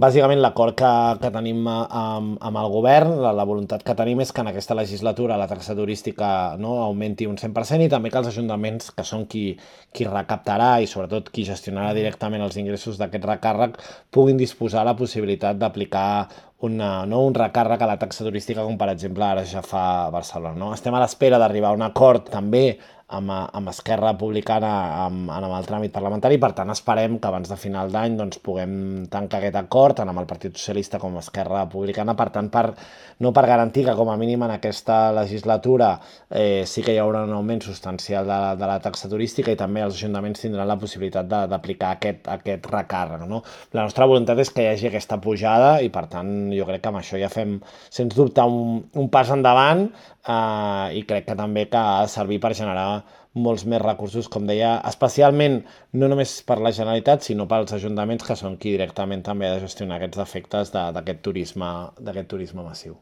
Bàsicament l'acord que tenim amb el govern, la voluntat que tenim és que en aquesta legislatura la taxa turística, no, augmenti un 100% i també que els ajuntaments, que són qui recaptarà i sobretot qui gestionarà directament els ingressos d'aquest recàrrec, puguin disposar la possibilitat d'aplicar un recàrrec a la taxa turística com per exemple ara ja fa Barcelona. No? Estem a l'espera d'arribar a un acord també amb Esquerra Republicana amb el tràmit parlamentari, per tant esperem que abans de final d'any doncs, puguem tancar aquest acord tant amb el Partit Socialista com amb Esquerra Republicana, per tant per garantir que com a mínim en aquesta legislatura sí que hi haurà un augment substancial de la taxa turística i també els ajuntaments tindran la possibilitat d'aplicar aquest recàrrec. No? La nostra voluntat és que hi hagi aquesta pujada i per tant jo crec que amb això ja fem sens dubte un pas endavant i crec que també que ha de servir per generar molts més recursos, com deia, especialment no només per la Generalitat, sinó pels ajuntaments que són qui directament també ha de gestionar aquests efectes d'aquest turisme massiu.